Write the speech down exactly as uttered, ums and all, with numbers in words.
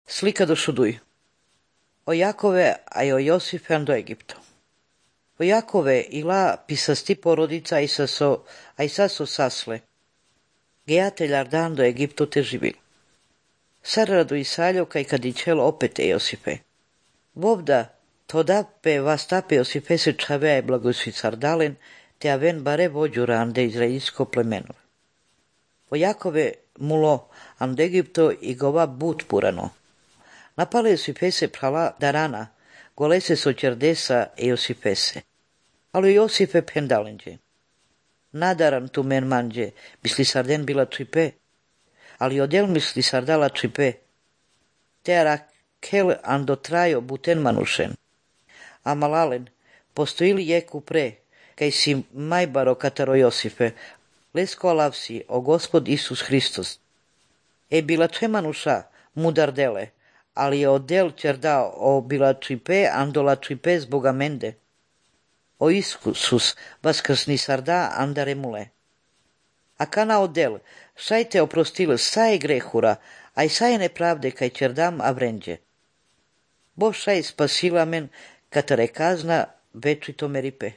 Slika do Šuduj. O Jakove a o Josife do Egipto. O Jakove ila pisasti porodica i saso, a i saso sasle. Gejateljar dan do Egipto te živil. Sarradu i saljo kaj kadičelo opet e Josife. Vovda todape vastape Josife se čavea i blagosvi sardalen, te aven bare vođu rande izraelsko plemenove. O Jakove mulo and Egipto i gova but purano. Napale Josifese prala darana, golese sočerdesa e Josifese. Alo Josife pendalenđe. Nadaran tu men manđe, misli sarden bila čipe, ali odel misli sardala čipe. Teara kel ando trajo buten manušen. A malalen, postojili jeku pre, kaj si majbaro kataro Josife, lesko alavsi o Gospod Isus Hristos. E bila če manuša, mudar dele, ali je odel čerda o bila čipe andola čipe zboga mende. O Isus vaskrsni sarda andare mule. A kana odel, šaj te oprostil saje grehura, a i saje nepravde kaj čerdam avrenđe. Bo šaj spasila men katare kazna večito meripe.